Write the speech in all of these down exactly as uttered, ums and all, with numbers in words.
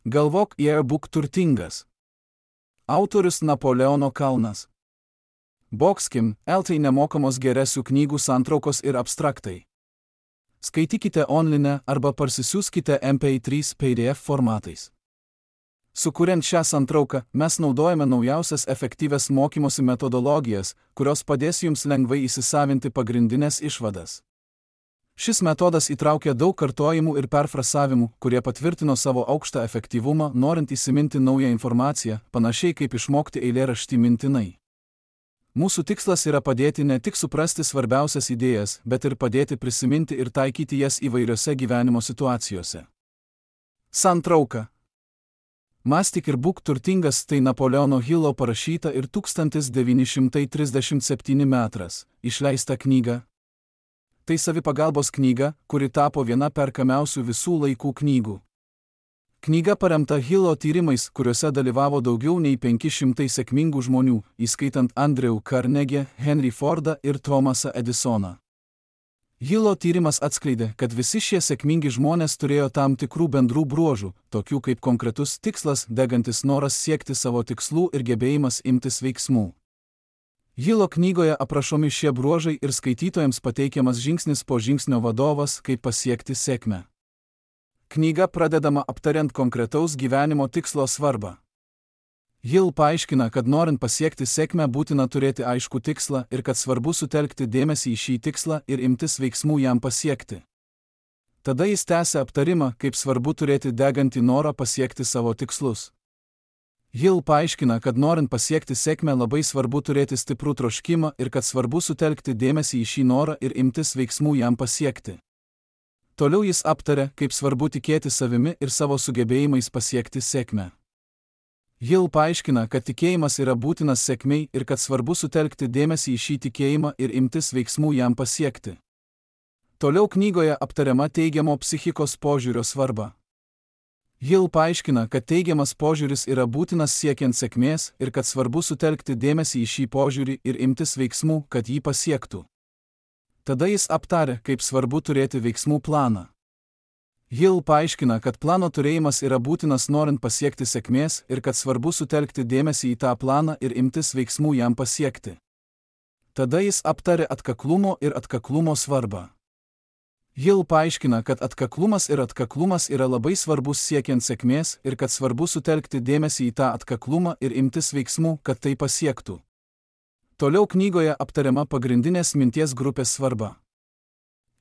Galvok, jei būk turtingas. Autorius Napoleono Kalnas. Boxkim, eltai nemokamos geresių knygų santraukos ir abstraktai. Skaitykite online arba parsisiųskite M P trys P D F formatais. Sukuriant šią santrauką, mes naudojame naujausias efektyvias mokymosi metodologijas, kurios padės jums lengvai įsisavinti pagrindinės išvadas. Šis metodas įtraukia daug kartojimų ir perfrasavimų, kurie patvirtino savo aukštą efektyvumą, norint įsiminti naują informaciją, panašiai kaip išmokti eilėraštį mintinai. Mūsų tikslas yra padėti ne tik suprasti svarbiausias idėjas, bet ir padėti prisiminti ir taikyti jas įvairiose gyvenimo situacijose. Santrauka. Mąstyk ir būk turtingas tai Napoleono Hillo parašyta ir tūkstantis devyni šimtai trisdešimt septyni metras, išleista knyga. Tai savipagalbos knyga, kuri tapo viena perkamiausių visų laikų knygų. Knyga paremta Hillo tyrimais, kuriuose dalyvavo daugiau nei penki šimtai sėkmingų žmonių, įskaitant Andrew Carnegie, Henry Fordą ir Thomasą Edisoną. Hillo tyrimas atskleidė, kad visi šie sėkmingi žmonės turėjo tam tikrų bendrų bruožų, tokių kaip konkretus tikslas, degantis noras siekti savo tikslų ir gebėjimas imtis veiksmų. Hillo knygoje aprašomi šie bruožai ir skaitytojams pateikiamas žingsnis po žingsnio vadovas, kaip pasiekti sėkmę. Knyga pradedama aptariant konkretaus gyvenimo tikslo svarbą. Hill paaiškina, kad norint pasiekti sėkmę būtina turėti aiškų tikslą ir kad svarbu sutelkti dėmesį į šį tikslą ir imtis veiksmų jam pasiekti. Tada jis tęsia aptarimą, kaip svarbu turėti degantį norą pasiekti savo tikslus. Hill paaiškina, kad norint pasiekti sėkmę labai svarbu turėti stiprų troškimą ir kad svarbu sutelkti dėmesį į šį norą ir imtis veiksmų jam pasiekti. Toliau jis aptarė, kaip svarbu tikėti savimi ir savo sugebėjimais pasiekti sėkmę. Hill paaiškina, kad tikėjimas yra būtinas sėkmei ir kad svarbu sutelkti dėmesį į šį tikėjimą ir imtis veiksmų jam pasiekti. Toliau knygoje aptariama teigiamo psichikos požiūrio svarba. Hill paaiškina, kad teigiamas požiūris yra būtinas siekiant sėkmės ir kad svarbu sutelkti dėmesį į šį požiūrį ir imtis veiksmų, kad jį pasiektų. Tada jis aptarė, kaip svarbu turėti veiksmų planą. Hill paaiškina, kad plano turėjimas yra būtinas norint pasiekti sėkmės ir kad svarbu sutelkti dėmesį į tą planą ir imtis veiksmų jam pasiekti. Tada jis aptarė atkaklumo ir atkaklumo svarbą. Hill paaiškina, kad atkaklumas ir atkaklumas yra labai svarbus siekiant sėkmės ir kad svarbu sutelkti dėmesį į tą atkaklumą ir imtis veiksmų, kad tai pasiektų. Toliau knygoje aptariama pagrindinės minties grupės svarba.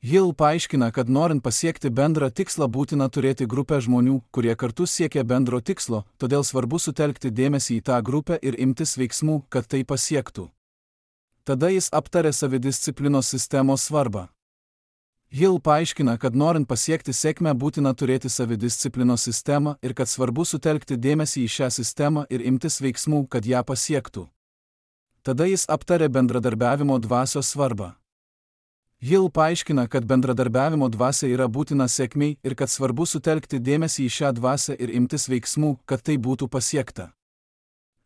Hill paaiškina, kad norint pasiekti bendrą tikslą būtina turėti grupę žmonių, kurie kartu siekia bendro tikslo, todėl svarbu sutelkti dėmesį į tą grupę ir imtis veiksmų, kad tai pasiektų. Tada jis aptarė savidisciplinos sistemos svarbą. Hill paaiškina, kad norint pasiekti sėkmę būtina turėti savidisciplinos sistemą ir kad svarbu sutelkti dėmesį į šią sistemą ir imtis veiksmų, kad ją pasiektų. Tada jis aptarė bendradarbiavimo dvasios svarbą. Hill paaiškina, kad bendradarbiavimo dvasia yra būtina sėkmei ir kad svarbu sutelkti dėmesį į šią dvasią ir imtis veiksmų, kad tai būtų pasiekta.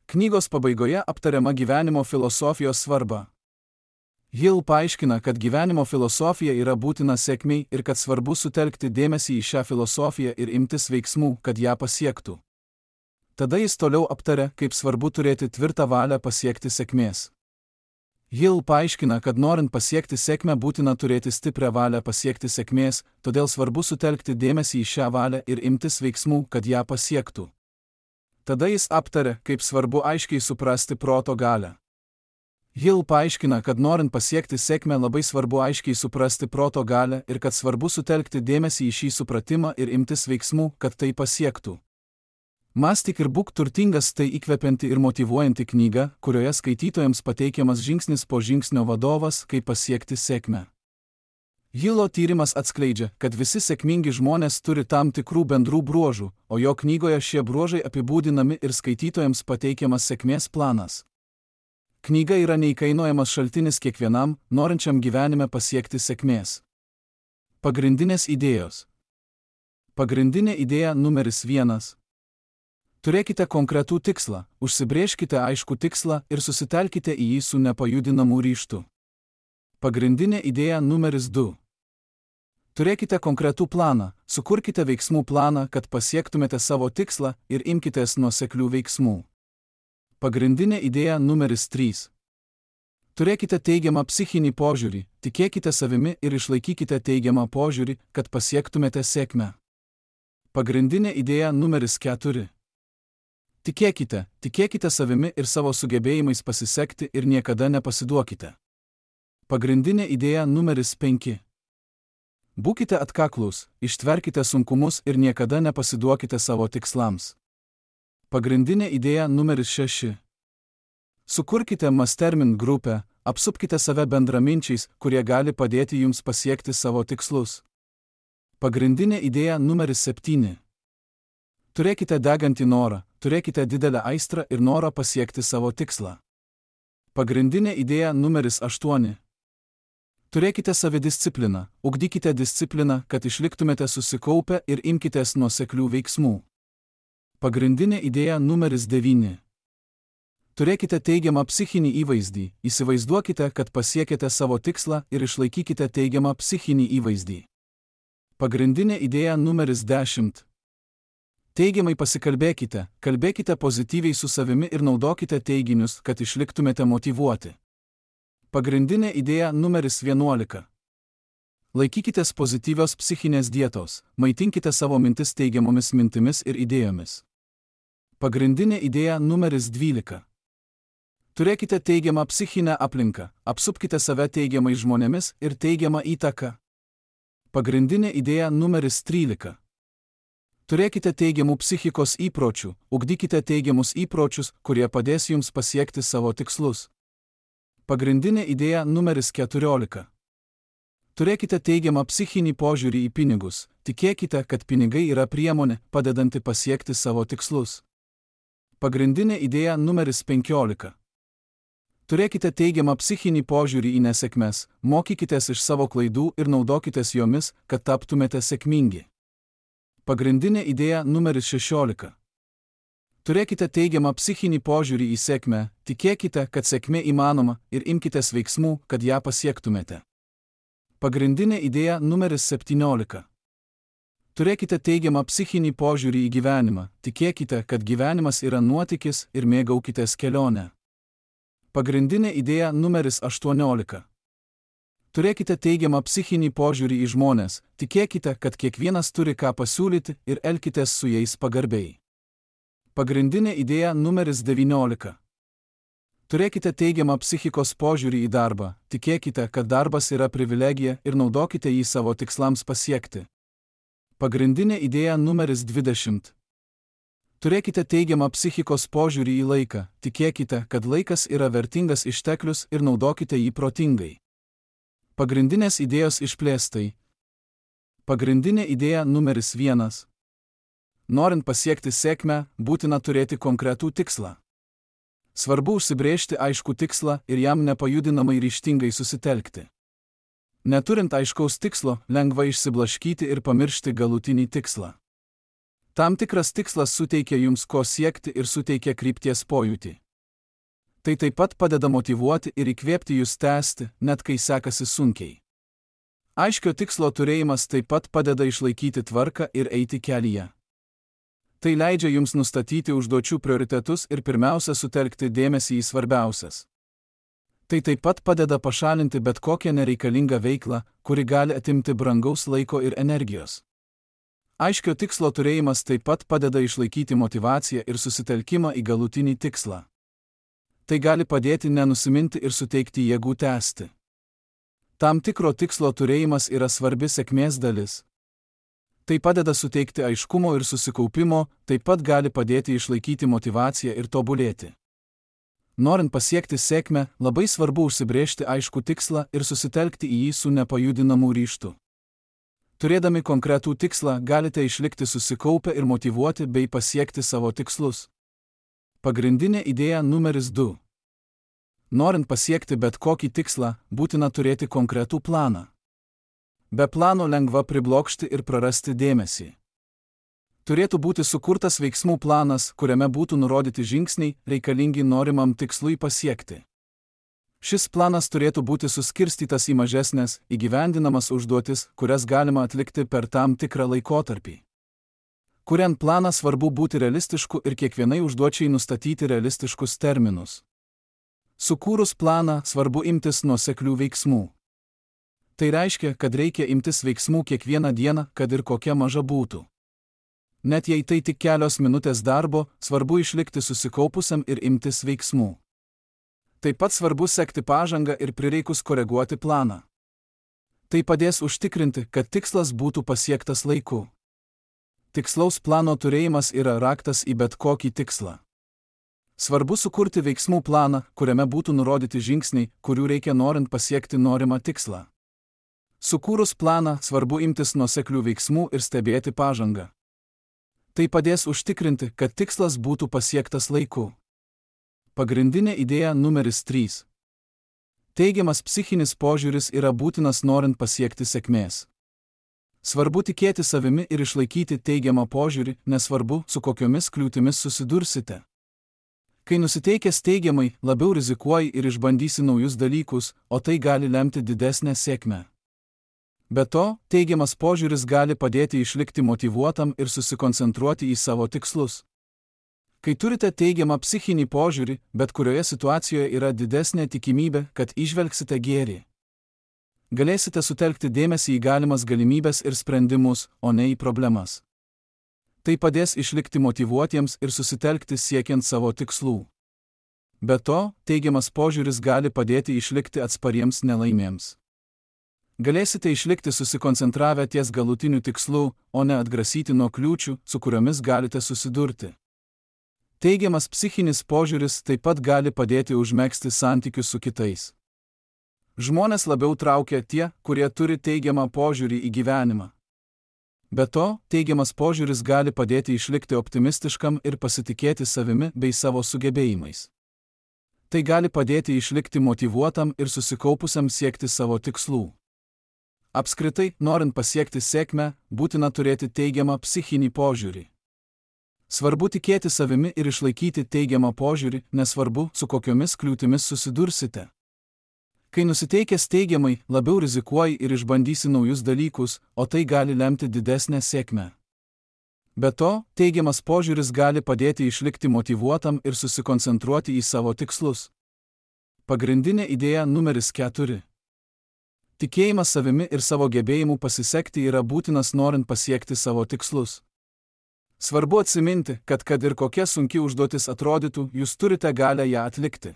Knygos pabaigoje aptariama gyvenimo filosofijos svarba. Hill paaiškina, kad gyvenimo filosofija yra būtina sėkmei ir kad svarbu sutelkti dėmesį į šią filosofiją ir imtis veiksmų, kad ją pasiektų. Tada jis toliau aptarė, kaip svarbu turėti tvirtą valią pasiekti sėkmės. Hill paaiškina, kad norint pasiekti sėkmę būtina turėti stiprią valią pasiekti sėkmės, todėl svarbu sutelkti dėmesį į šią valią ir imtis veiksmų, kad ją pasiektų. Tada jis aptarė, kaip svarbu aiškiai suprasti proto galią. Hill paaiškina, kad norint pasiekti sėkmę labai svarbu aiškiai suprasti proto galią ir kad svarbu sutelkti dėmesį į šį supratimą ir imtis veiksmų, kad tai pasiektų. Mąstyk ir būk turtingas tai įkvepianti ir motyvuojanti knyga, kurioje skaitytojams pateikiamas žingsnis po žingsnio vadovas, kaip pasiekti sėkmę. Hillo tyrimas atskleidžia, kad visi sėkmingi žmonės turi tam tikrų bendrų bruožų, o jo knygoje šie bruožai apibūdinami ir skaitytojams pateikiamas sėkmės planas. Knyga yra neįkainojamas šaltinis kiekvienam, norinčiam gyvenime pasiekti sėkmės. Pagrindinės idėjos. Pagrindinė idėja numeris vienas. Turėkite konkretų tikslą, užsibrėžkite aiškų tikslą ir susitelkite į jį su nepajudinamu ryžtu. Pagrindinė idėja numeris du. Turėkite konkretų planą, sukurkite veiksmų planą, kad pasiektumėte savo tikslą ir imkitės nuoseklių veiksmų. Pagrindinė idėja numeris trys. Turėkite teigiamą psichinį požiūrį, tikėkite savimi ir išlaikykite teigiamą požiūrį, kad pasiektumėte sėkmę. Pagrindinė idėja numeris keturi. Tikėkite, tikėkite savimi ir savo sugebėjimais pasisekti ir niekada nepasiduokite. Pagrindinė idėja numeris penki. Būkite atkaklūs, ištverkite sunkumus ir niekada nepasiduokite savo tikslams. Pagrindinė idėja numeris šeši. Sukurkite mastermind grupę, apsupkite save bendraminčiais, kurie gali padėti jums pasiekti savo tikslus. Pagrindinė idėja numeris septyni. Turėkite degantį norą, turėkite didelę aistrą ir norą pasiekti savo tikslą. Pagrindinė idėja numeris aštuoni. Turėkite savidiscipliną, ugdykite discipliną, kad išliktumėte susikaupę ir imkitės nuoseklių veiksmų. Pagrindinė idėja numeris devyni. Turėkite teigiamą psichinį įvaizdį, įsivaizduokite, kad pasiekėte savo tikslą ir išlaikykite teigiamą psichinį įvaizdį. Pagrindinė idėja numeris dešimt. Teigiamai pasikalbėkite, kalbėkite pozityviai su savimi ir naudokite teiginius, kad išliktumėte motyvuoti. Pagrindinė idėja numeris vienuolika. Laikykitės pozityvios psichinės dietos, maitinkite savo mintis teigiamomis mintimis ir idėjomis. Pagrindinė idėja numeris dvylika. Turėkite teigiamą psichinę aplinką, apsupkite save teigiamais žmonėmis ir teigiamą įtaką. Pagrindinė idėja numeris trylika. Turėkite teigiamų psichikos įpročių, ugdykite teigiamus įpročius, kurie padės jums pasiekti savo tikslus. Pagrindinė idėja numeris keturiolika. Turėkite teigiamą psichinį požiūrį į pinigus, tikėkite, kad pinigai yra priemonė, padedanti pasiekti savo tikslus. Pagrindinė idėja numeris penkiolika. Turėkite teigiamą psichinį požiūrį į nesėkmes, mokykitės iš savo klaidų ir naudokitės jomis, kad taptumėte sėkmingi. Pagrindinė idėja numeris šešiolika. Turėkite teigiamą psichinį požiūrį į sėkmę, tikėkite, kad sėkmė įmanoma ir imkitės veiksmų, kad ją pasiektumėte. Pagrindinė idėja numeris septyniolika. Turėkite teigiamą psichinį požiūrį į gyvenimą, tikėkite, kad gyvenimas yra nuotykis ir mėgaukitės kelionę. Pagrindinė idėja numeris aštuoniolika. Turėkite teigiamą psichinį požiūrį į žmones, tikėkite, kad kiekvienas turi ką pasiūlyti ir elkitės su jais pagarbiai. Pagrindinė idėja numeris devyniolika. Turėkite teigiamą psichikos požiūrį į darbą, tikėkite, kad darbas yra privilegija ir naudokite jį savo tikslams pasiekti. Pagrindinė idėja numeris dvidešimt. Turėkite teigiamą psichikos požiūrį į laiką, tikėkite, kad laikas yra vertingas išteklius ir naudokite jį protingai. Pagrindinės idėjos išplėstai. Pagrindinė idėja numeris vienas. Norint pasiekti sėkmę, būtina turėti konkretų tikslą. Svarbu užsibrėžti aiškų tikslą ir jam nepajudinamai ryžtingai susitelkti. Neturint aiškaus tikslo, lengva išsiblaškyti ir pamiršti galutinį tikslą. Tam tikras tikslas suteikia jums ko siekti ir suteikia krypties pojūtį. Tai taip pat padeda motyvuoti ir įkvėpti jūs tęsti, net kai sekasi sunkiai. Aiškio tikslo turėjimas taip pat padeda išlaikyti tvarką ir eiti kelyje. Tai leidžia jums nustatyti užduočių prioritetus ir pirmiausia sutelkti dėmesį į svarbiausias. Tai taip pat padeda pašalinti bet kokią nereikalingą veiklą, kuri gali atimti brangaus laiko ir energijos. Aiškio tikslo turėjimas taip pat padeda išlaikyti motyvaciją ir susitelkimą į galutinį tikslą. Tai gali padėti nenusiminti ir suteikti jėgų tęsti. Tam tikro tikslo turėjimas yra svarbi sėkmės dalis. Tai padeda suteikti aiškumo ir susikaupimo, taip pat gali padėti išlaikyti motyvaciją ir tobulėti. Norint pasiekti sėkmę, labai svarbu užsibrėžti aiškų tikslą ir susitelkti į jį su nepajudinamu ryžtu. Turėdami konkretų tikslą, galite išlikti susikaupę ir motyvuoti bei pasiekti savo tikslus. Pagrindinė idėja numeris du. Norint pasiekti bet kokį tikslą, būtina turėti konkretų planą. Be plano lengva priblokšti ir prarasti dėmesį. Turėtų būti sukurtas veiksmų planas, kuriame būtų nurodyti žingsniai, reikalingi norimam tikslui pasiekti. Šis planas turėtų būti suskirstytas į mažesnės, įgyvendinamas užduotis, kurias galima atlikti per tam tikrą laikotarpį. Kuriant planą svarbu būti realistišku ir kiekvienai užduočiai nustatyti realistiškus terminus. Sukūrus planą svarbu imtis nuoseklių veiksmų. Tai reiškia, kad reikia imtis veiksmų kiekvieną dieną, kad ir kokia maža būtų. Net jei tai tik kelios minutės darbo, svarbu išlikti susikaupusiam ir imtis veiksmų. Taip pat svarbu sekti pažangą ir prireikus koreguoti planą. Tai padės užtikrinti, kad tikslas būtų pasiektas laiku. Tikslaus plano turėjimas yra raktas į bet kokį tikslą. Svarbu sukurti veiksmų planą, kuriame būtų nurodyti žingsniai, kurių reikia norint pasiekti norimą tikslą. Sukūrus planą, svarbu imtis nuoseklių veiksmų ir stebėti pažangą. Tai padės užtikrinti, kad tikslas būtų pasiektas laiku. Pagrindinė idėja numeris trys. Teigiamas psichinis požiūris yra būtinas norint pasiekti sėkmės. Svarbu tikėti savimi ir išlaikyti teigiamą požiūrį, nesvarbu, su kokiomis kliūtimis susidursite. Kai nusiteikęs teigiamai, labiau rizikuoji ir išbandysi naujus dalykus, o tai gali lemti didesnę sėkmę. Be to, teigiamas požiūris gali padėti išlikti motyvuotam ir susikoncentruoti į savo tikslus. Kai turite teigiamą psichinį požiūrį, bet kurioje situacijoje yra didesnė tikimybė, kad įžvelgsite gėrį. Galėsite sutelkti dėmesį į galimas galimybės ir sprendimus, o ne į problemas. Tai padės išlikti motyvuotiems ir susitelkti siekiant savo tikslų. Be to, teigiamas požiūris gali padėti išlikti atspariems nelaimėms. Galėsite išlikti susikoncentravę ties galutiniu tikslu, o ne atgrasyti nuo kliūčių, su kuriomis galite susidurti. Teigiamas psichinis požiūris taip pat gali padėti užmegzti santykius su kitais. Žmonės labiau traukia tie, kurie turi teigiamą požiūrį į gyvenimą. Be to, teigiamas požiūris gali padėti išlikti optimistiškam ir pasitikėti savimi bei savo sugebėjimais. Tai gali padėti išlikti motyvuotam ir susikaupusiam siekti savo tikslų. Apskritai, norint pasiekti sėkmę, būtina turėti teigiamą psichinį požiūrį. Svarbu tikėti savimi ir išlaikyti teigiamą požiūrį, nesvarbu, su kokiomis kliūtimis susidursite. Kai nusiteikęs teigiamai, labiau rizikuoji ir išbandysi naujus dalykus, o tai gali lemti didesnę sėkmę. Be to, teigiamas požiūris gali padėti išlikti motyvuotam ir susikoncentruoti į savo tikslus. Pagrindinė idėja numeris keturi. Tikėjimas savimi ir savo gebėjimu pasisekti yra būtinas norint pasiekti savo tikslus. Svarbu atsiminti, kad kad ir kokia sunki užduotis atrodytų, jūs turite galę ją atlikti.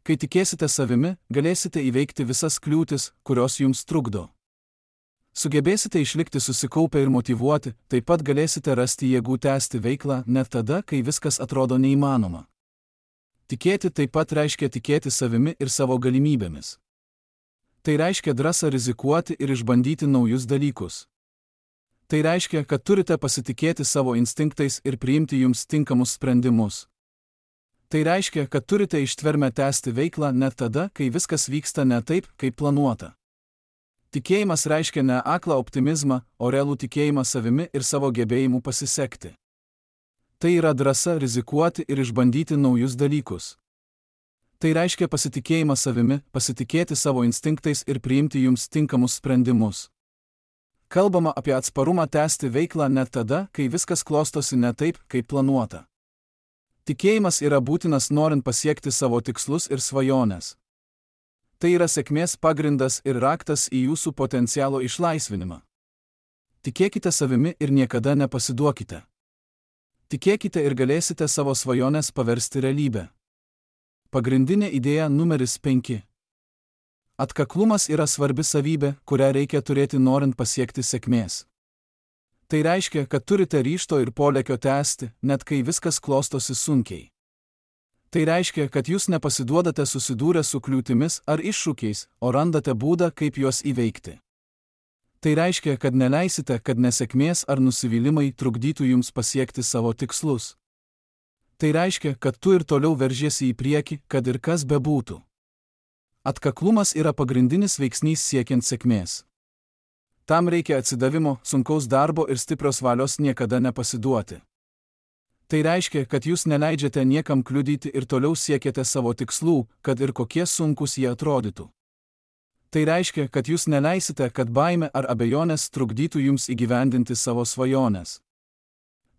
Kai tikėsite savimi, galėsite įveikti visas kliūtis, kurios jums trukdo. Sugebėsite išlikti susikaupę ir motyvuoti, taip pat galėsite rasti jėgų tęsti veiklą net tada, kai viskas atrodo neįmanoma. Tikėti taip pat reiškia tikėti savimi ir savo galimybėmis. Tai reiškia drąsą rizikuoti ir išbandyti naujus dalykus. Tai reiškia, kad turite pasitikėti savo instinktais ir priimti jums tinkamus sprendimus. Tai reiškia, kad turite ištvermę tęsti veiklą net tada, kai viskas vyksta ne taip, kaip planuota. Tikėjimas reiškia ne aklą optimizmą, o realų tikėjimą savimi ir savo gebėjimu pasisekti. Tai yra drąsa rizikuoti ir išbandyti naujus dalykus. Tai reiškia pasitikėjimą savimi, pasitikėti savo instinktais ir priimti jums tinkamus sprendimus. Kalbama apie atsparumą tęsti veiklą net tada, kai viskas klostosi ne taip, kaip planuota. Tikėjimas yra būtinas norint pasiekti savo tikslus ir svajones. Tai yra sėkmės pagrindas ir raktas į jūsų potencialo išlaisvinimą. Tikėkite savimi ir niekada nepasiduokite. Tikėkite ir galėsite savo svajones paversti realybę. Pagrindinė idėja numeris penki. Atkaklumas yra svarbi savybė, kurią reikia turėti norint pasiekti sėkmės. Tai reiškia, kad turite ryžto ir polėkio tęsti, net kai viskas klostosi sunkiai. Tai reiškia, kad jūs nepasiduodate susidūrę su kliūtimis ar iššūkiais, o randate būdą, kaip juos įveikti. Tai reiškia, kad neleisite, kad nesėkmės ar nusivylimai trukdytų jums pasiekti savo tikslus. Tai reiškia, kad tu ir toliau veržiesi į priekį, kad ir kas bebūtų. Atkaklumas yra pagrindinis veiksnys siekiant sėkmės. Tam reikia atsidavimo, sunkaus darbo ir stiprios valios niekada nepasiduoti. Tai reiškia, kad jūs neleidžiate niekam kliudyti ir toliau siekiate savo tikslų, kad ir kokie sunkus jie atrodytų. Tai reiškia, kad jūs neleisite, kad baimė ar abejonės trukdytų jums įgyvendinti savo svajones.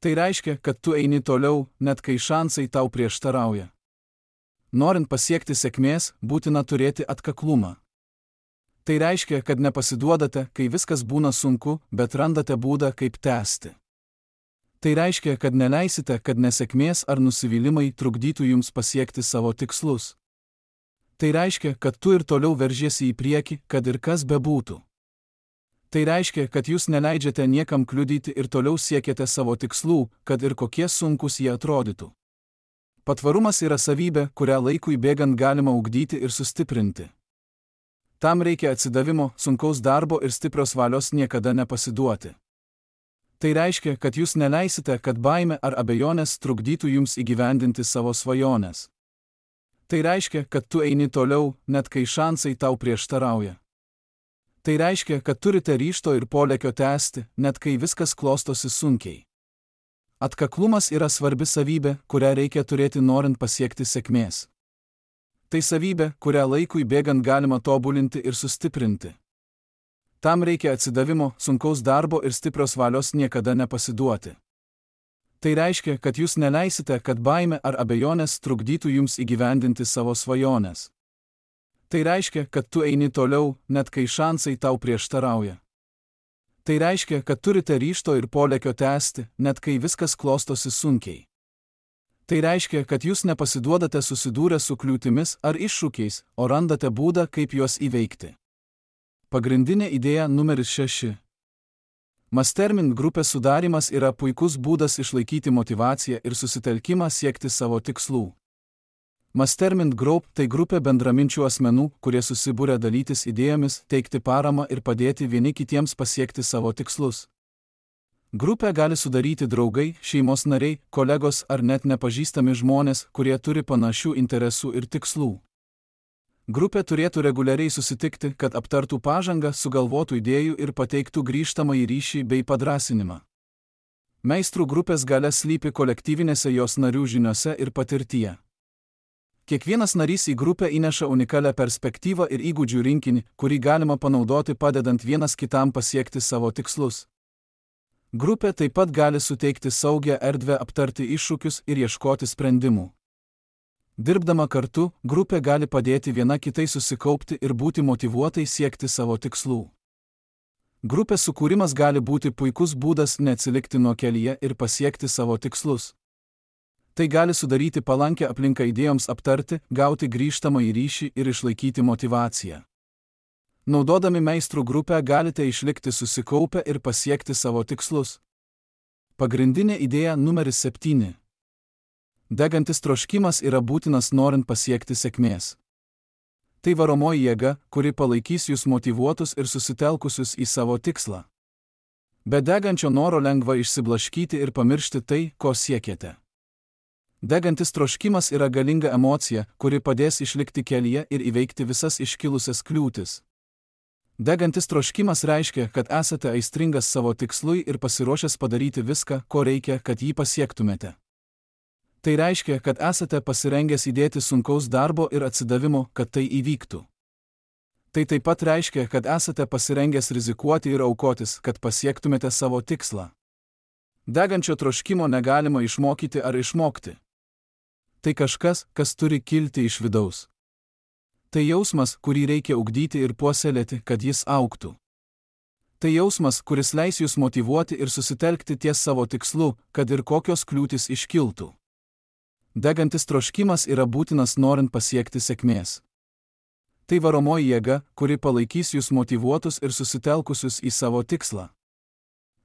Tai reiškia, kad tu eini toliau, net kai šansai tau prieštarauja. Norint pasiekti sėkmės, būtina turėti atkaklumą. Tai reiškia, kad nepasiduodate, kai viskas būna sunku, bet randate būdą, kaip tęsti. Tai reiškia, kad neleisite, kad nesėkmės ar nusivylimai trukdytų jums pasiekti savo tikslus. Tai reiškia, kad tu ir toliau veržiesi į priekį, kad ir kas bebūtų. Tai reiškia, kad jūs neleidžiate niekam kliudyti ir toliau siekiate savo tikslų, kad ir kokie sunkus jie atrodytų. Patvarumas yra savybė, kurią laikui bėgant galima ugdyti ir sustiprinti. Tam reikia atsidavimo, sunkaus darbo ir stiprios valios niekada nepasiduoti. Tai reiškia, kad jūs neleisite, kad baimė ar abejonės trukdytų jums įgyvendinti savo svajones. Tai reiškia, kad tu eini toliau, net kai šansai tau prieštarauja. Tai reiškia, kad turite ryžto ir polėkio tęsti, net kai viskas klostosi sunkiai. Atkaklumas yra svarbi savybė, kurią reikia turėti norint pasiekti sėkmės. Tai savybė, kurią laikui bėgant galima tobulinti ir sustiprinti. Tam reikia atsidavimo, sunkaus darbo ir stiprios valios niekada nepasiduoti. Tai reiškia, kad jūs neleisite, kad baimė ar abejonės trukdytų jums įgyvendinti savo svajones. Tai reiškia, kad tu eini toliau, net kai šansai tau prieštarauja. Tai reiškia, kad turite ryžto ir polėkio tęsti, net kai viskas klostosi sunkiai. Tai reiškia, kad jūs nepasiduodate susidūrę su kliūtimis ar iššūkiais, o randate būdą, kaip juos įveikti. Pagrindinė idėja numeris šeši. Mastermind grupės sudarimas yra puikus būdas išlaikyti motyvaciją ir susitelkimą siekti savo tikslų. Mastermind Group tai grupė bendraminčių asmenų, kurie susibūrė dalytis idėjomis, teikti paramą ir padėti vieni kitiems pasiekti savo tikslus. Grupę gali sudaryti draugai, šeimos nariai, kolegos ar net nepažįstami žmonės, kurie turi panašių interesų ir tikslų. Grupė turėtų reguliariai susitikti, kad aptartų pažangą, sugalvotų idėjų ir pateiktų grįžtamąjį ryšį bei padrąsinimą. Meistrų grupės galia slypi kolektyvinėse jos narių žiniose ir patirtyje. Kiekvienas narys į grupę įneša unikalią perspektyvą ir įgūdžių rinkinį, kurį galima panaudoti padedant vienas kitam pasiekti savo tikslus. Grupė taip pat gali suteikti saugią erdvę aptarti iššūkius ir ieškoti sprendimų. Dirbdama kartu, grupė gali padėti viena kitai susikaupti ir būti motyvuotai siekti savo tikslų. Grupės sukūrimas gali būti puikus būdas neatsilikti nuo kelyje ir pasiekti savo tikslus. Tai gali sudaryti palankę aplinką idėjoms aptarti, gauti grįžtamąjį ryšį ir išlaikyti motyvaciją. Naudodami meistrų grupę galite išlikti susikaupę ir pasiekti savo tikslus. Pagrindinė idėja numeris septyni. Degantis troškimas yra būtinas norint pasiekti sėkmės. Tai varomoji jėga, kuri palaikys jūs motyvuotus ir susitelkusius į savo tikslą. Be degančio noro lengva išsiblaškyti ir pamiršti tai, ko siekiate. Degantis troškimas yra galinga emocija, kuri padės išlikti kelyje ir įveikti visas iškilusias kliūtis. Degantis troškimas reiškia, kad esate aistringas savo tikslui ir pasiruošęs padaryti viską, ko reikia, kad jį pasiektumėte. Tai reiškia, kad esate pasirengęs įdėti sunkaus darbo ir atsidavimo, kad tai įvyktų. Tai taip pat reiškia, kad esate pasirengęs rizikuoti ir aukotis, kad pasiektumėte savo tikslą. Degančio troškimo negalima išmokyti ar išmokti. Tai kažkas, kas turi kilti iš vidaus. Tai jausmas, kurį reikia ugdyti ir puoselėti, kad jis augtų. Tai jausmas, kuris leis jūs motyvuoti ir susitelkti ties savo tikslu, kad ir kokios kliūtis iškiltų. Degantis troškimas yra būtinas norint pasiekti sėkmės. Tai varomoji jėga, kuri palaikys jūs motyvuotus ir susitelkusius į savo tikslą.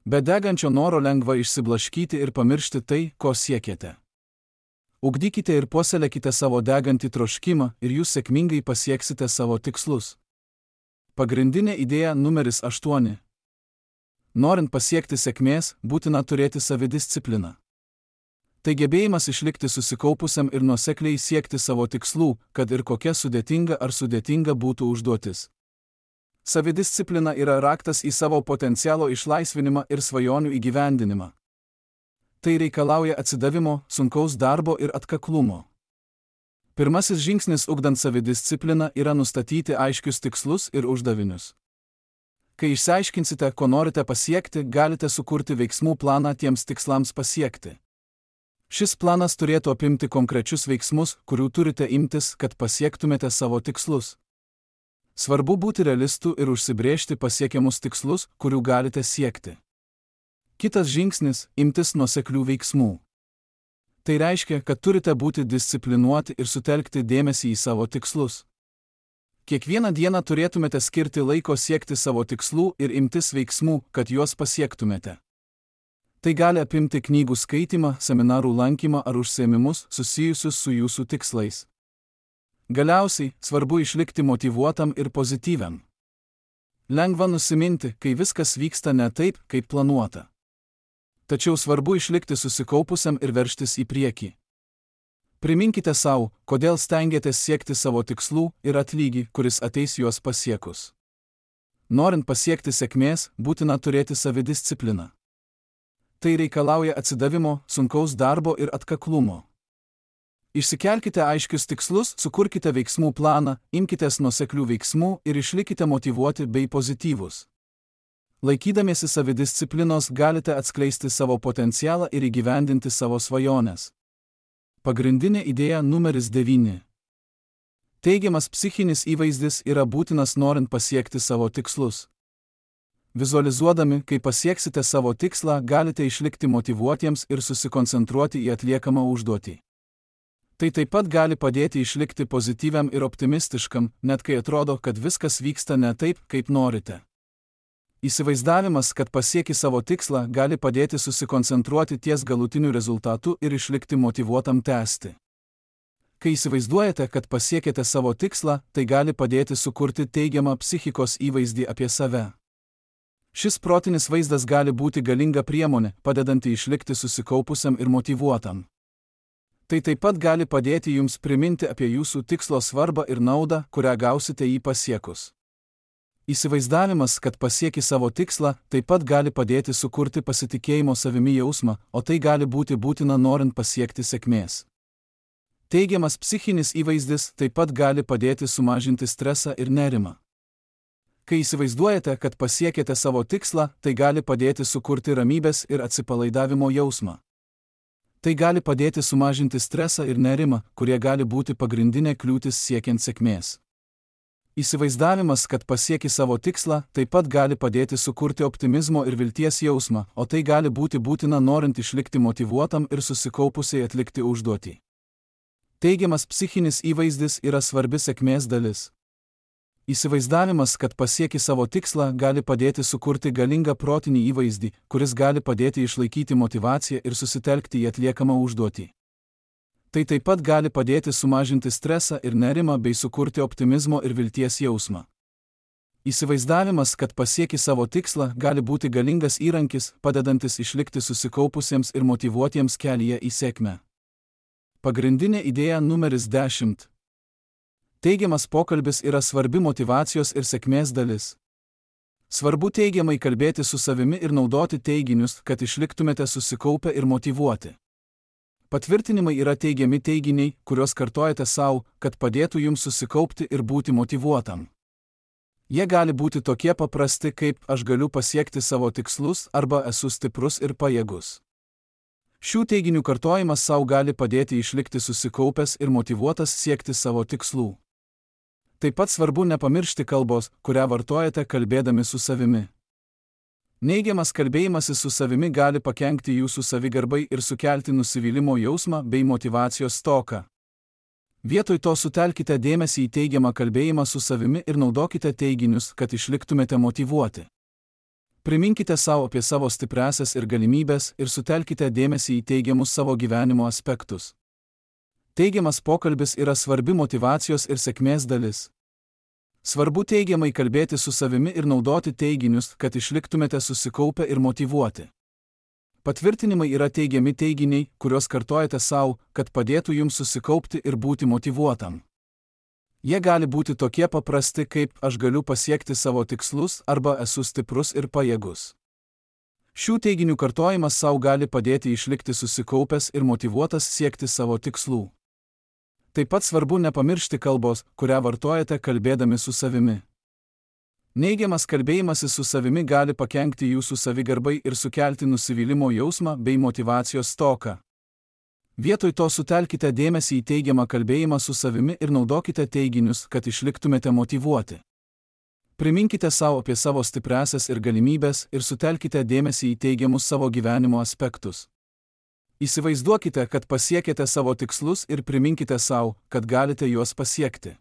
Be degančio noro lengva išsiblaškyti ir pamiršti tai, ko siekiate. Ugdykite ir puoselėkite savo degantį troškimą ir jūs sėkmingai pasieksite savo tikslus. Pagrindinė idėja numeris aštuoni. Norint pasiekti sėkmės, būtina turėti savidiscipliną. Tai gebėjimas išlikti susikaupusiam ir nuosekliai siekti savo tikslų, kad ir kokia sudėtinga ar sudėtinga būtų užduotis. Savidisciplina yra raktas į savo potencialo išlaisvinimą ir svajonių įgyvendinimą. Tai reikalauja atsidavimo, sunkaus darbo ir atkaklumo. Pirmasis žingsnis ugdant savidiscipliną yra nustatyti aiškius tikslus ir uždavinius. Kai išsiaiškinsite, ko norite pasiekti, galite sukurti veiksmų planą tiems tikslams pasiekti. Šis planas turėtų apimti konkrečius veiksmus, kurių turite imtis, kad pasiektumėte savo tikslus. Svarbu būti realistu ir užsibrėžti pasiekiamus tikslus, kurių galite siekti. Kitas žingsnis – imtis nuoseklių veiksmų. Tai reiškia, kad turite būti disciplinuoti ir sutelkti dėmesį į savo tikslus. Kiekvieną dieną turėtumėte skirti laiko siekti savo tikslų ir imtis veiksmų, kad juos pasiektumėte. Tai gali apimti knygų skaitymą, seminarų lankymą ar užsiėmimus susijusius su jūsų tikslais. Galiausiai, svarbu išlikti motyvuotam ir pozityviam. Lengva nusiminti, kai viskas vyksta ne taip, kaip planuota. Tačiau svarbu išlikti susikaupusiam ir veržtis į priekį. Priminkite savo, kodėl stengiatės siekti savo tikslų ir atlygį, kuris ateis juos pasiekus. Norint pasiekti sėkmės, būtina turėti savidiscipliną. Tai reikalauja atsidavimo, sunkaus darbo ir atkaklumo. Išsikelkite aiškius tikslus, sukurkite veiksmų planą, imkitės nuoseklių veiksmų ir išlikite motyvuoti bei pozityvūs. Laikydamiesi savidisciplinos galite atskleisti savo potencialą ir įgyvendinti savo svajones. Pagrindinė idėja numeris devyni. Teigiamas psichinis įvaizdis yra būtinas norint pasiekti savo tikslus. Vizualizuodami, kai pasieksite savo tikslą, galite išlikti motyvuotiems ir susikoncentruoti į atliekamą užduotį. Tai taip pat gali padėti išlikti pozityviam ir optimistiškam, net kai atrodo, kad viskas vyksta ne taip, kaip norite. Įsivaizdavimas, kad pasieki savo tikslą, gali padėti susikoncentruoti ties galutiniu rezultatu ir išlikti motyvuotam tęsti. Kai įsivaizduojate, kad pasiekėte savo tikslą, tai gali padėti sukurti teigiamą psichikos įvaizdį apie save. Šis protinis vaizdas gali būti galinga priemonė, padedanti išlikti susikaupusiam ir motyvuotam. Tai taip pat gali padėti jums priminti apie jūsų tikslo svarbą ir naudą, kurią gausite jį pasiekus. Įsivaizdavimas, kad pasieki savo tikslą, taip pat gali padėti sukurti pasitikėjimo savimi jausmą, o tai gali būti būtina norint pasiekti sėkmės. Teigiamas psichinis įvaizdis taip pat gali padėti sumažinti stresą ir nerimą. Kai įsivaizduojate, kad pasiekėte savo tikslą, tai gali padėti sukurti ramybės ir atsipalaidavimo jausmą. Tai gali padėti sumažinti stresą ir nerimą, kurie gali būti pagrindinė kliūtis siekiant sėkmės. Įsivaizdavimas, kad pasieki savo tikslą, taip pat gali padėti sukurti optimizmo ir vilties jausmą, o tai gali būti būtina norint išlikti motyvuotam ir susikaupusiai atlikti užduotį. Teigiamas psichinis įvaizdis yra svarbi sėkmės dalis. Įsivaizdavimas, kad pasieki savo tikslą, gali padėti sukurti galingą protinį įvaizdį, kuris gali padėti išlaikyti motyvaciją ir susitelkti į atliekamą užduotį. Tai taip pat gali padėti sumažinti stresą ir nerimą bei sukurti optimizmo ir vilties jausmą. Įsivaizdavimas, kad pasieki savo tikslą, gali būti galingas įrankis, padedantis išlikti susikaupusiems ir motyvuotiems kelyje į sėkmę. Pagrindinė idėja numeris dešimt. Teigiamas pokalbis yra svarbi motyvacijos ir sėkmės dalis. Svarbu teigiamai kalbėti su savimi ir naudoti teiginius, kad išliktumėte susikaupę ir motyvuoti. Patvirtinimai yra teigiami teiginiai, kuriuos kartojate savo, kad padėtų jums susikaupti ir būti motyvuotam. Jie gali būti tokie paprasti kaip aš galiu pasiekti savo tikslus arba esu stiprus ir pajėgus. Šių teiginių kartojimas savo gali padėti išlikti susikaupęs ir motyvuotas siekti savo tikslų. Taip pat svarbu nepamiršti kalbos, kurią vartojate kalbėdami su savimi. Neigiamas kalbėjimasis su savimi gali pakenkti jūsų savigarbai ir sukelti nusivylimo jausmą bei motyvacijos stoką. Vietoj to sutelkite dėmesį į teigiamą kalbėjimą su savimi ir naudokite teiginius, kad išliktumėte motyvuoti. Priminkite savo apie savo stipriąsias ir galimybės ir sutelkite dėmesį į teigiamus savo gyvenimo aspektus. Teigiamas pokalbis yra svarbi motyvacijos ir sėkmės dalis. Svarbu teigiamai kalbėti su savimi ir naudoti teiginius, kad išliktumėte susikaupę ir motyvuoti. Patvirtinimai yra teigiami teiginiai, kuriuos kartojate savo, kad padėtų jums susikaupti ir būti motyvuotam. Jie gali būti tokie paprasti kaip aš galiu pasiekti savo tikslus arba esu stiprus ir pajėgus. Šių teiginių kartojimas savo gali padėti išlikti susikaupęs ir motyvuotas siekti savo tikslų. Taip pat svarbu nepamiršti kalbos, kurią vartojate kalbėdami su savimi. Neigiamas kalbėjimasis su savimi gali pakenkti jūsų savigarbai ir sukelti nusivylimo jausmą bei motyvacijos stoką. Vietoj to sutelkite dėmesį į teigiamą kalbėjimą su savimi ir naudokite teiginius, kad išliktumėte motyvuoti. Priminkite savo apie savo stipriąsias ir galimybės ir sutelkite dėmesį į teigiamus savo gyvenimo aspektus. Įsivaizduokite, kad pasiekėte savo tikslus ir priminkite savo, kad galite juos pasiekti.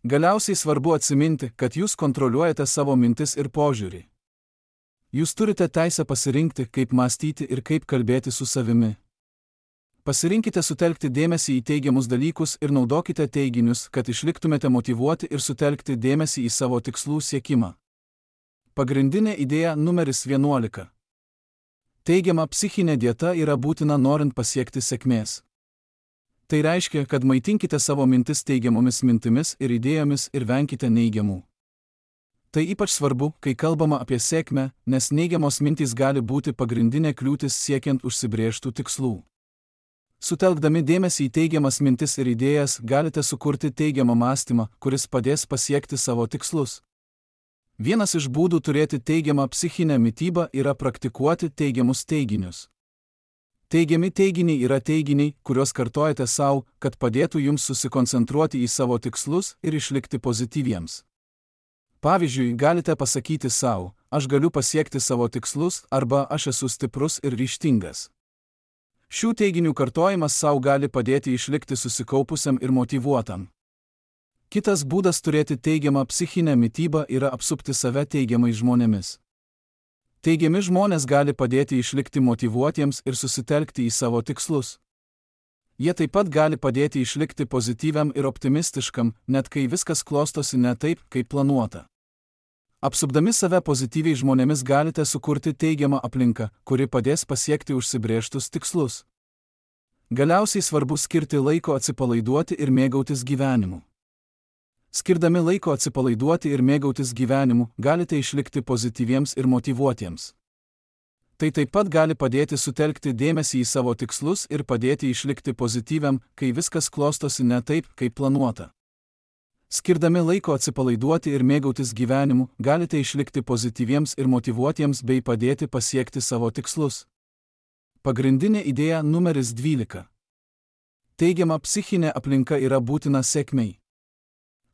Galiausiai svarbu atsiminti, kad jūs kontroliuojate savo mintis ir požiūrį. Jūs turite teisę pasirinkti, kaip mąstyti ir kaip kalbėti su savimi. Pasirinkite sutelkti dėmesį į teigiamus dalykus ir naudokite teiginius, kad išliktumėte motyvuoti ir sutelkti dėmesį į savo tikslų siekimą. Pagrindinė idėja numeris vienuolika. Teigiama psichinė dieta yra būtina norint pasiekti sėkmės. Tai reiškia, kad maitinkite savo mintis teigiamomis mintimis ir idėjomis ir venkite neigiamų. Tai ypač svarbu, kai kalbama apie sėkmę, nes neigiamos mintys gali būti pagrindinė kliūtis siekiant užsibrėžtų tikslų. Sutelkdami dėmesį į teigiamas mintis ir idėjas, galite sukurti teigiamą mąstymą, kuris padės pasiekti savo tikslus. Vienas iš būdų turėti teigiamą psichinę mitybą yra praktikuoti teigiamus teiginius. Teigiami teiginiai yra teiginiai, kuriuos kartojate savo, kad padėtų jums susikoncentruoti į savo tikslus ir išlikti pozityviems. Pavyzdžiui, galite pasakyti savo, aš galiu pasiekti savo tikslus arba aš esu stiprus ir ryžtingas. Šių teiginių kartojimas savo gali padėti išlikti susikaupusiam ir motyvuotam. Kitas būdas turėti teigiamą psichinę mitybą yra apsupti save teigiamais žmonėmis. Teigiami žmonės gali padėti išlikti motyvuotiems ir susitelkti į savo tikslus. Jie taip pat gali padėti išlikti pozityviam ir optimistiškam, net kai viskas klostosi ne taip, kaip planuota. Apsupdami save pozityviai žmonėmis galite sukurti teigiamą aplinką, kuri padės pasiekti užsibrėžtus tikslus. Galiausiai svarbu skirti laiko atsipalaiduoti ir mėgautis gyvenimu. Skirdami laiko atsipalaiduoti ir mėgautis gyvenimu, galite išlikti pozityviems ir motyvuotiems. Tai taip pat gali padėti sutelkti dėmesį į savo tikslus ir padėti išlikti pozityviam, kai viskas klostosi ne taip, kaip planuota. Skirdami laiko atsipalaiduoti ir mėgautis gyvenimu, galite išlikti pozityviems ir motyvuotiems bei padėti pasiekti savo tikslus. Pagrindinė idėja numeris dvylika. Teigiama psichinė aplinka yra būtina sėkmei.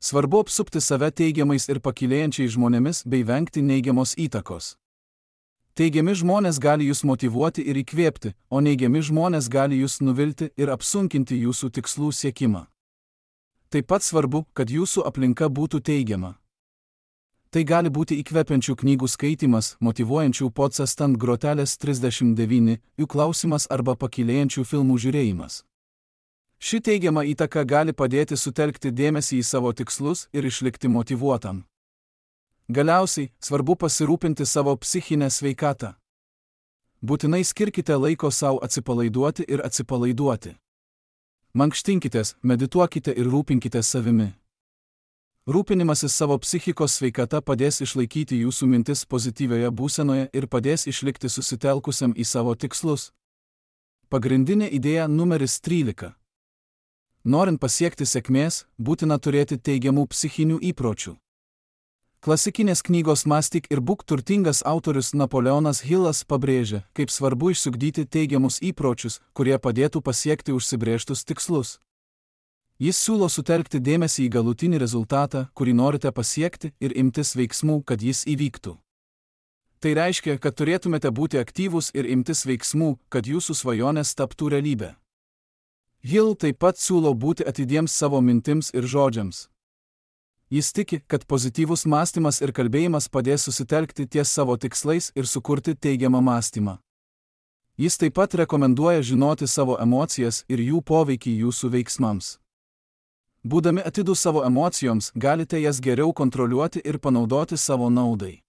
Svarbu apsupti save teigiamais ir pakylėjančiais žmonėmis bei vengti neigiamos įtakos. Teigiami žmonės gali jūs motyvuoti ir įkvėpti, o neigiami žmonės gali jūs nuvilti ir apsunkinti jūsų tikslų siekimą. Taip pat svarbu, kad jūsų aplinka būtų teigiama. Tai gali būti įkvepiančių knygų skaitymas, motyvuojančių podcast ant grotelės trisdešimt devyni, jų klausimas arba pakylėjančių filmų žiūrėjimas. Ši teigiama įtaka gali padėti sutelkti dėmesį į savo tikslus ir išlikti motyvuotam. Galiausiai, svarbu pasirūpinti savo psichinę sveikatą. Būtinai skirkite laiko savo atsipalaiduoti ir atsipalaiduoti. Mankštinkitės, medituokite ir rūpinkitės savimi. Rūpinimasis savo psichikos sveikata padės išlaikyti jūsų mintis pozityvioje būsenoje ir padės išlikti susitelkusiam į savo tikslus. Pagrindinė idėja numeris trylika. Norint pasiekti sėkmės, būtina turėti teigiamų psichinių įpročių. Klasikinės knygos Mąstyk ir būk turtingas autorius Napoleonas Hillas pabrėžia, kaip svarbu išsiugdyti teigiamus įpročius, kurie padėtų pasiekti užsibrėžtus tikslus. Jis siūlo sutelkti dėmesį į galutinį rezultatą, kurį norite pasiekti, ir imtis veiksmų, kad jis įvyktų. Tai reiškia, kad turėtumėte būti aktyvūs ir imtis veiksmų, kad jūsų svajonės taptų realybė. Hill taip pat siūlo būti atidiems savo mintims ir žodžiams. Jis tiki, kad pozityvus mąstymas ir kalbėjimas padės susitelkti ties savo tikslais ir sukurti teigiamą mąstymą. Jis taip pat rekomenduoja žinoti savo emocijas ir jų poveikį jūsų veiksmams. Būdami atidūs savo emocijoms, galite jas geriau kontroliuoti ir panaudoti savo naudai.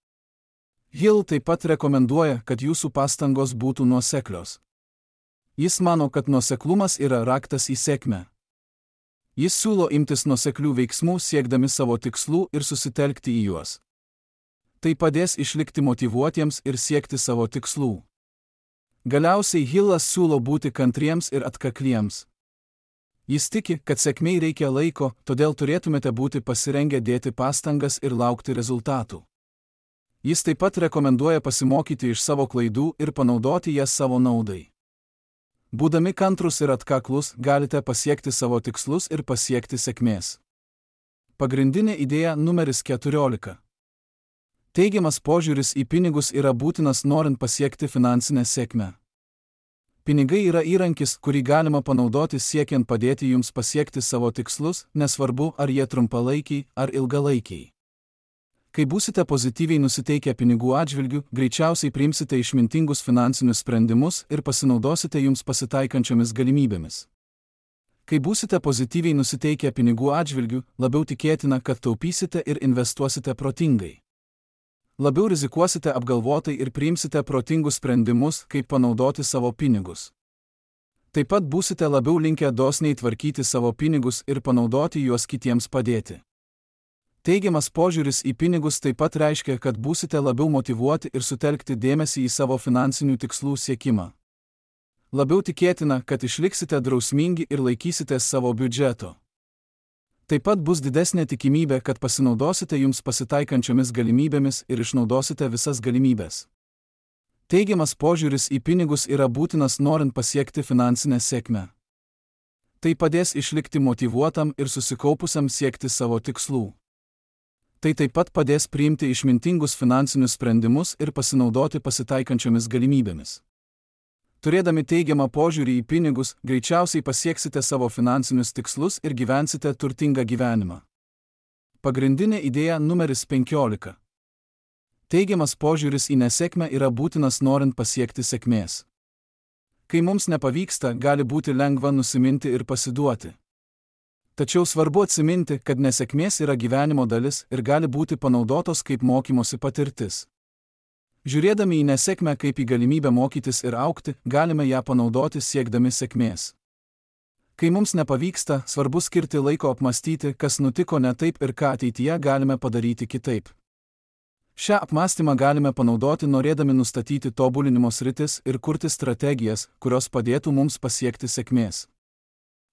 Hill taip pat rekomenduoja, kad jūsų pastangos būtų nuoseklios. Jis mano, kad nuoseklumas yra raktas į sėkmę. Jis siūlo imtis nuoseklių veiksmų siekdami savo tikslų ir susitelkti į juos. Tai padės išlikti motyvuotiems ir siekti savo tikslų. Galiausiai Hillas siūlo būti kantriems ir atkakliems. Jis tiki, kad sėkmei reikia laiko, todėl turėtumėte būti pasirengę dėti pastangas ir laukti rezultatų. Jis taip pat rekomenduoja pasimokyti iš savo klaidų ir panaudoti jas savo naudai. Būdami kantrus ir atkaklus, galite pasiekti savo tikslus ir pasiekti sėkmės. Pagrindinė idėja numeris keturiolika. Teigiamas požiūris į pinigus yra būtinas norint pasiekti finansinę sėkmę. Pinigai yra įrankis, kurį galima panaudoti siekiant padėti jums pasiekti savo tikslus, nesvarbu, ar jie trumpalaikiai ar ilgalaikiai. Kai būsite pozityviai nusiteikę pinigų atžvilgiu, greičiausiai priimsite išmintingus finansinius sprendimus ir pasinaudosite jums pasitaikančiomis galimybėmis. Kai būsite pozityviai nusiteikę pinigų atžvilgiu, labiau tikėtina, kad taupysite ir investuosite protingai. Labiau rizikuosite apgalvotai ir priimsite protingus sprendimus, kaip panaudoti savo pinigus. Taip pat būsite labiau linkę dosniai tvarkyti savo pinigus ir panaudoti juos kitiems padėti. Teigiamas požiūris į pinigus taip pat reiškia, kad būsite labiau motyvuoti ir sutelkti dėmesį į savo finansinių tikslų siekimą. Labiau tikėtina, kad išliksite drausmingi ir laikysitės savo biudžeto. Taip pat bus didesnė tikimybė, kad pasinaudosite jums pasitaikančiomis galimybėmis ir išnaudosite visas galimybės. Teigiamas požiūris į pinigus yra būtinas norint pasiekti finansinę sėkmę. Tai padės išlikti motyvuotam ir susikaupusiam siekti savo tikslų. Tai taip pat padės priimti išmintingus finansinius sprendimus ir pasinaudoti pasitaikančiomis galimybėmis. Turėdami teigiamą požiūrį į pinigus, greičiausiai pasieksite savo finansinius tikslus ir gyvensite turtingą gyvenimą. Pagrindinė idėja numeris penkiolika. Teigiamas požiūris į nesėkmę yra būtinas norint pasiekti sėkmės. Kai mums nepavyksta, gali būti lengva nusiminti ir pasiduoti. Tačiau svarbu atsiminti, kad nesėkmės yra gyvenimo dalis ir gali būti panaudotos kaip mokymosi patirtis. Žiūrėdami į nesėkmę kaip į galimybę mokytis ir augti, galime ją panaudoti siekdami sėkmės. Kai mums nepavyksta, svarbu skirti laiko apmastyti, kas nutiko ne taip ir ką ateityje galime padaryti kitaip. Šią apmąstymą galime panaudoti norėdami nustatyti tobulinimo sritis ir kurti strategijas, kurios padėtų mums pasiekti sėkmės.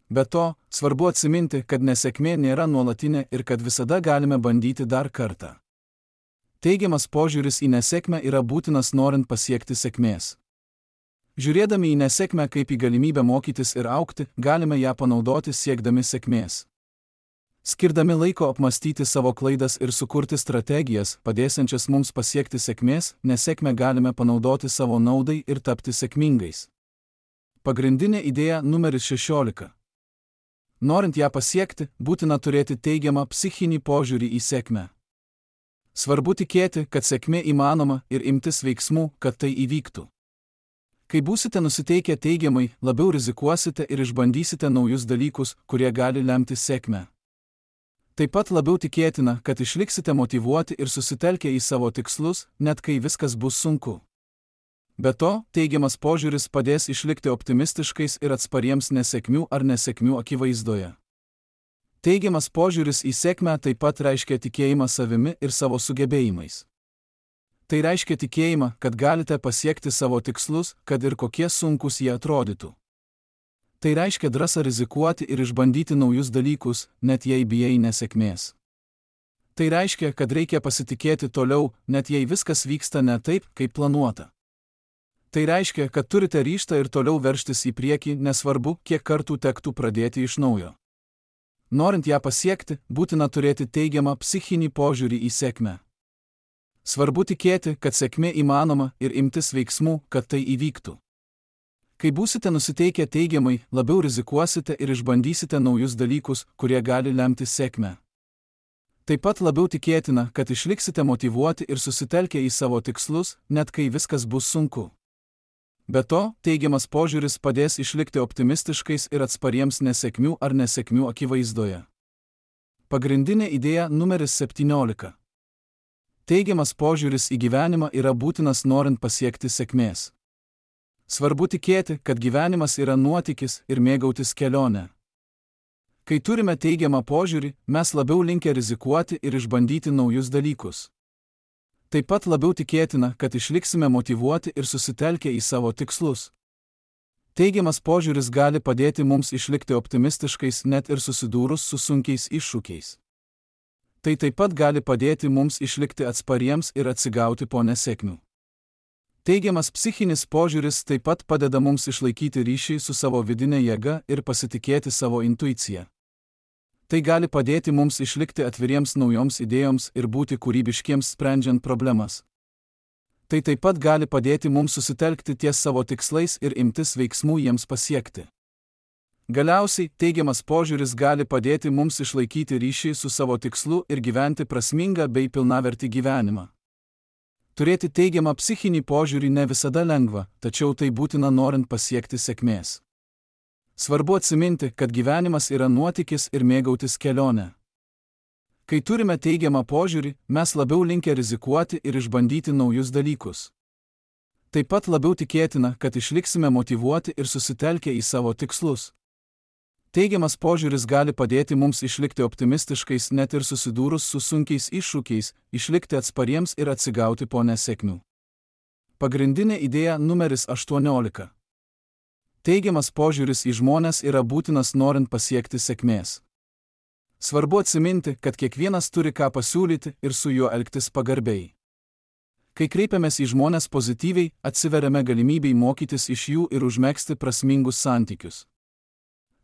Be to, svarbu atsiminti, kad nesėkmė nėra nuolatinė ir kad visada galime bandyti dar kartą. Teigiamas požiūris į nesėkmę yra būtinas norint pasiekti sėkmės. Žiūrėdami į nesėkmę kaip į galimybę mokytis ir augti, galime ją panaudoti siekdami sėkmės. Skirdami laiko apmastyti savo klaidas ir sukurti strategijas, padėsiančias mums pasiekti sėkmės, nesėkmę galime panaudoti savo naudai ir tapti sėkmingais. Pagrindinė idėja numeris šešiolika. Norint ją pasiekti, būtina turėti teigiamą psichinį požiūrį į sėkmę. Svarbu tikėti, kad sėkmė įmanoma ir imtis veiksmų, kad tai įvyktų. Kai būsite nusiteikę teigiamai, labiau rizikuosite ir išbandysite naujus dalykus, kurie gali lemti sėkmę. Taip pat labiau tikėtina, kad išliksite motyvuoti ir susitelkę į savo tikslus, net kai viskas bus sunku. Be to, teigiamas požiūris padės išlikti optimistiškais ir atspariems nesėkmių ar nesėkmių akivaizdoje. Teigiamas požiūris į sėkmę taip pat reiškia tikėjimą savimi ir savo sugebėjimais. Tai reiškia tikėjimą, kad galite pasiekti savo tikslus, kad ir kokie sunkus jie atrodytų. Tai reiškia drąsą rizikuoti ir išbandyti naujus dalykus, net jei bijai nesėkmės. Tai reiškia, kad reikia pasitikėti toliau, net jei viskas vyksta ne taip, kaip planuota. Tai reiškia, kad turite ryžtą ir toliau veržtis į priekį, nesvarbu, kiek kartų tektų pradėti iš naujo. Norint ją pasiekti, būtina turėti teigiamą psichinį požiūrį į sėkmę. Svarbu tikėti, kad sėkmė įmanoma ir imtis veiksmų, kad tai įvyktų. Kai būsite nusiteikę teigiamai, labiau rizikuosite ir išbandysite naujus dalykus, kurie gali lemti sėkmę. Taip pat labiau tikėtina, kad išliksite motyvuoti ir susitelkę į savo tikslus, net kai viskas bus sunku. Be to, teigiamas požiūris padės išlikti optimistiškais ir atspariems nesėkmių ar nesėkmių akivaizdoje. Pagrindinė idėja numeris septyniolika. Teigiamas požiūris į gyvenimą yra būtinas norint pasiekti sėkmės. Svarbu tikėti, kad gyvenimas yra nuotykis ir mėgautis kelionę. Kai turime teigiamą požiūrį, mes labiau linkę rizikuoti ir išbandyti naujus dalykus. Taip pat labiau tikėtina, kad išliksime motyvuoti ir susitelkę į savo tikslus. Teigiamas požiūris gali padėti mums išlikti optimistiškais net ir susidūrus su sunkiais iššūkiais. Tai taip pat gali padėti mums išlikti atspariems ir atsigauti po nesėkmių. Teigiamas psichinis požiūris taip pat padeda mums išlaikyti ryšį su savo vidinė jėga ir pasitikėti savo intuicija. Tai gali padėti mums išlikti atviriems naujoms idėjoms ir būti kūrybiškiems sprendžiant problemas. Tai taip pat gali padėti mums susitelkti ties savo tikslais ir imtis veiksmų jiems pasiekti. Galiausiai, teigiamas požiūris gali padėti mums išlaikyti ryšį su savo tikslu ir gyventi prasmingą bei pilnavertį gyvenimą. Turėti teigiamą psichinį požiūrį ne visada lengva, tačiau tai būtina norint pasiekti sėkmės. Svarbu atsiminti, kad gyvenimas yra nuotykis ir mėgautis kelionę. Kai turime teigiamą požiūrį, mes labiau linkę rizikuoti ir išbandyti naujus dalykus. Taip pat labiau tikėtina, kad išliksime motyvuoti ir susitelkę į savo tikslus. Teigiamas požiūris gali padėti mums išlikti optimistiškais net ir susidūrus su sunkiais iššūkiais, išlikti atspariems ir atsigauti po nesėkmių. Pagrindinė idėja numeris aštuoniolika. Teigiamas požiūris į žmones yra būtinas norint pasiekti sėkmės. Svarbu atsiminti, kad kiekvienas turi ką pasiūlyti ir su juo elgtis pagarbiai. Kai kreipiamės į žmones pozityviai, atsiveriame galimybei mokytis iš jų ir užmegzti prasmingus santykius.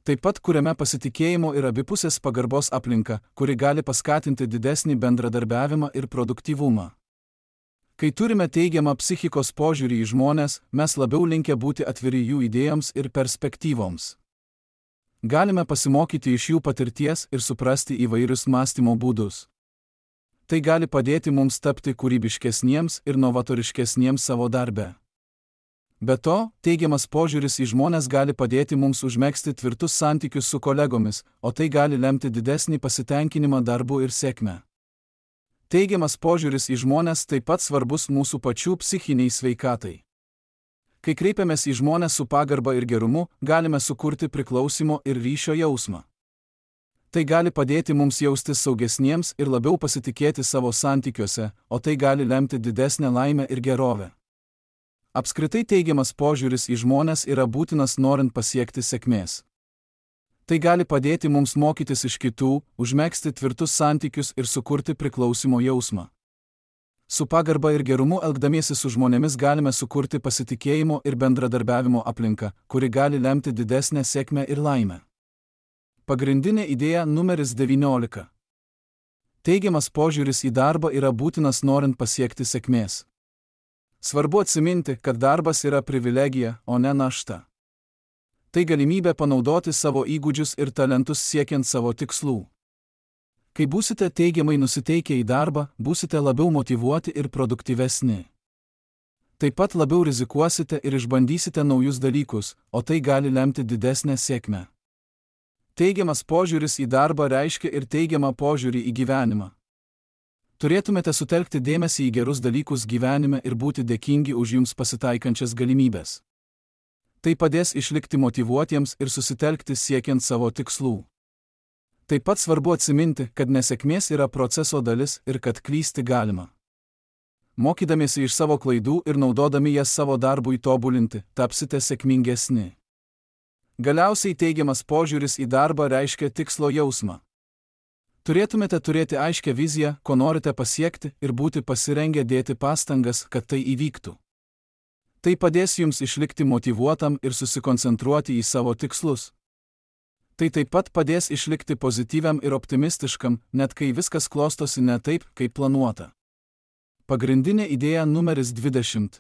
Taip pat kuriame pasitikėjimo ir abipusės pagarbos aplinką, kuri gali paskatinti didesnį bendradarbiavimą ir produktyvumą. Kai turime teigiamą psichikos požiūrį į žmones, mes labiau linkę būti atviri jų idėjoms ir perspektyvoms. Galime pasimokyti iš jų patirties ir suprasti įvairius mąstymo būdus. Tai gali padėti mums tapti kūrybiškesniems ir novatoriškesniems savo darbe. Be to, teigiamas požiūris į žmones gali padėti mums užmegzti tvirtus santykius su kolegomis, o tai gali lemti didesnį pasitenkinimą darbu ir sėkmę. Teigiamas požiūris į žmones taip pat svarbus mūsų pačių psichiniai sveikatai. Kai kreipiamės į žmones su pagarba ir gerumu, galime sukurti priklausimo ir ryšio jausmą. Tai gali padėti mums jaustis saugesniems ir labiau pasitikėti savo santykiuose, o tai gali lemti didesnę laimę ir gerovę. Apskritai teigiamas požiūris į žmones yra būtinas norint pasiekti sėkmės. Tai gali padėti mums mokytis iš kitų, užmegzti tvirtus santykius ir sukurti priklausimo jausmą. Su pagarba ir gerumu elgdamiesi su žmonėmis galime sukurti pasitikėjimo ir bendradarbiavimo aplinką, kuri gali lemti didesnę sėkmę ir laimę. Pagrindinė idėja numeris devyniolika. Teigiamas požiūris į darbą yra būtinas norint pasiekti sėkmės. Svarbu atsiminti, kad darbas yra privilegija, o ne našta. Tai galimybė panaudoti savo įgūdžius ir talentus siekiant savo tikslų. Kai būsite teigiamai nusiteikę į darbą, būsite labiau motyvuoti ir produktyvesni. Taip pat labiau rizikuosite ir išbandysite naujus dalykus, o tai gali lemti didesnę sėkmę. Teigiamas požiūris į darbą reiškia ir teigiamą požiūrį į gyvenimą. Turėtumėte sutelkti dėmesį į gerus dalykus gyvenime ir būti dėkingi už jums pasitaikančias galimybės. Tai padės išlikti motyvuotiems ir susitelkti siekiant savo tikslų. Taip pat svarbu atsiminti, kad nesėkmės yra proceso dalis ir kad klysti galima. Mokydamiesi iš savo klaidų ir naudodami jas savo darbui tobulinti, tapsite sėkmingesni. Galiausiai teigiamas požiūris į darbą reiškia tikslo jausmą. Turėtumėte turėti aiškią viziją, ko norite pasiekti ir būti pasirengę dėti pastangas, kad tai įvyktų. Tai padės jums išlikti motyvuotam ir susikoncentruoti į savo tikslus. Tai taip pat padės išlikti pozityviam ir optimistiškam, net kai viskas klostosi ne taip, kaip planuota. Pagrindinė idėja numeris dvidešimt.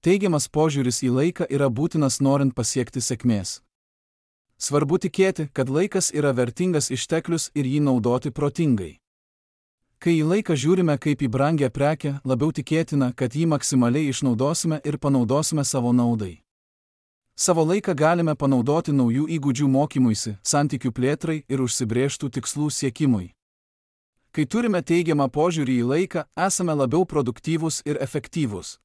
Teigiamas požiūris į laiką yra būtinas norint pasiekti sėkmės. Svarbu tikėti, kad laikas yra vertingas išteklius ir jį naudoti protingai. Kai į laiką žiūrime kaip į brangią prekę, labiau tikėtina, kad jį maksimaliai išnaudosime ir panaudosime savo naudai. Savo laiką galime panaudoti naujų įgūdžių mokymuisi, santykių plėtrai ir užsibrėžtų tikslų siekimui. Kai turime teigiamą požiūrį į laiką, esame labiau produktyvūs ir efektyvūs.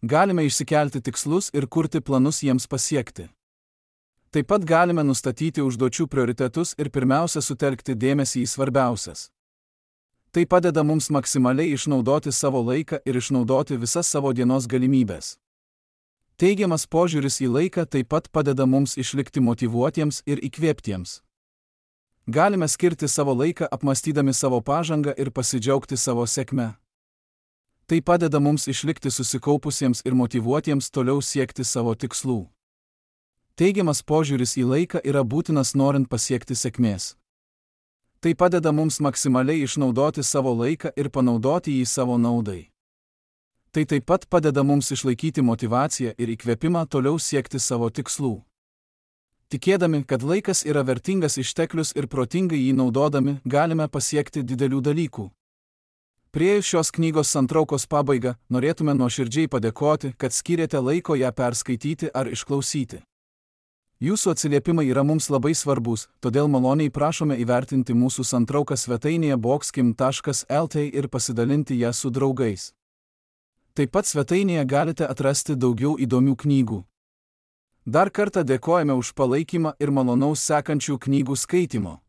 Galime išsikelti tikslus ir kurti planus jiems pasiekti. Taip pat galime nustatyti užduočių prioritetus ir pirmiausia sutelkti dėmesį į svarbiausias. Tai padeda mums maksimaliai išnaudoti savo laiką ir išnaudoti visas savo dienos galimybės. Teigiamas požiūris į laiką taip pat padeda mums išlikti motyvuotiems ir įkvėptiems. Galime skirti savo laiką apmąstydami savo pažangą ir pasidžiaugti savo sėkme. Tai padeda mums išlikti susikaupusiems ir motyvuotiems toliau siekti savo tikslų. Teigiamas požiūris į laiką yra būtinas norint pasiekti sėkmės. Tai padeda mums maksimaliai išnaudoti savo laiką ir panaudoti jį savo naudai. Tai taip pat padeda mums išlaikyti motyvaciją ir įkvėpimą toliau siekti savo tikslų. Tikėdami, kad laikas yra vertingas išteklius ir protingai jį naudodami, galime pasiekti didelių dalykų. Priėjus šios knygos santraukos pabaigą, norėtume nuoširdžiai padėkoti, kad skyrėte laiko ją perskaityti ar išklausyti. Jūsų atsiliepimai yra mums labai svarbus, todėl maloniai prašome įvertinti mūsų santrauką svetainėje boxkim taškas lt ir pasidalinti ją su draugais. Taip pat svetainėje galite atrasti daugiau įdomių knygų. Dar kartą dėkojame už palaikymą ir malonaus sekančių knygų skaitimo.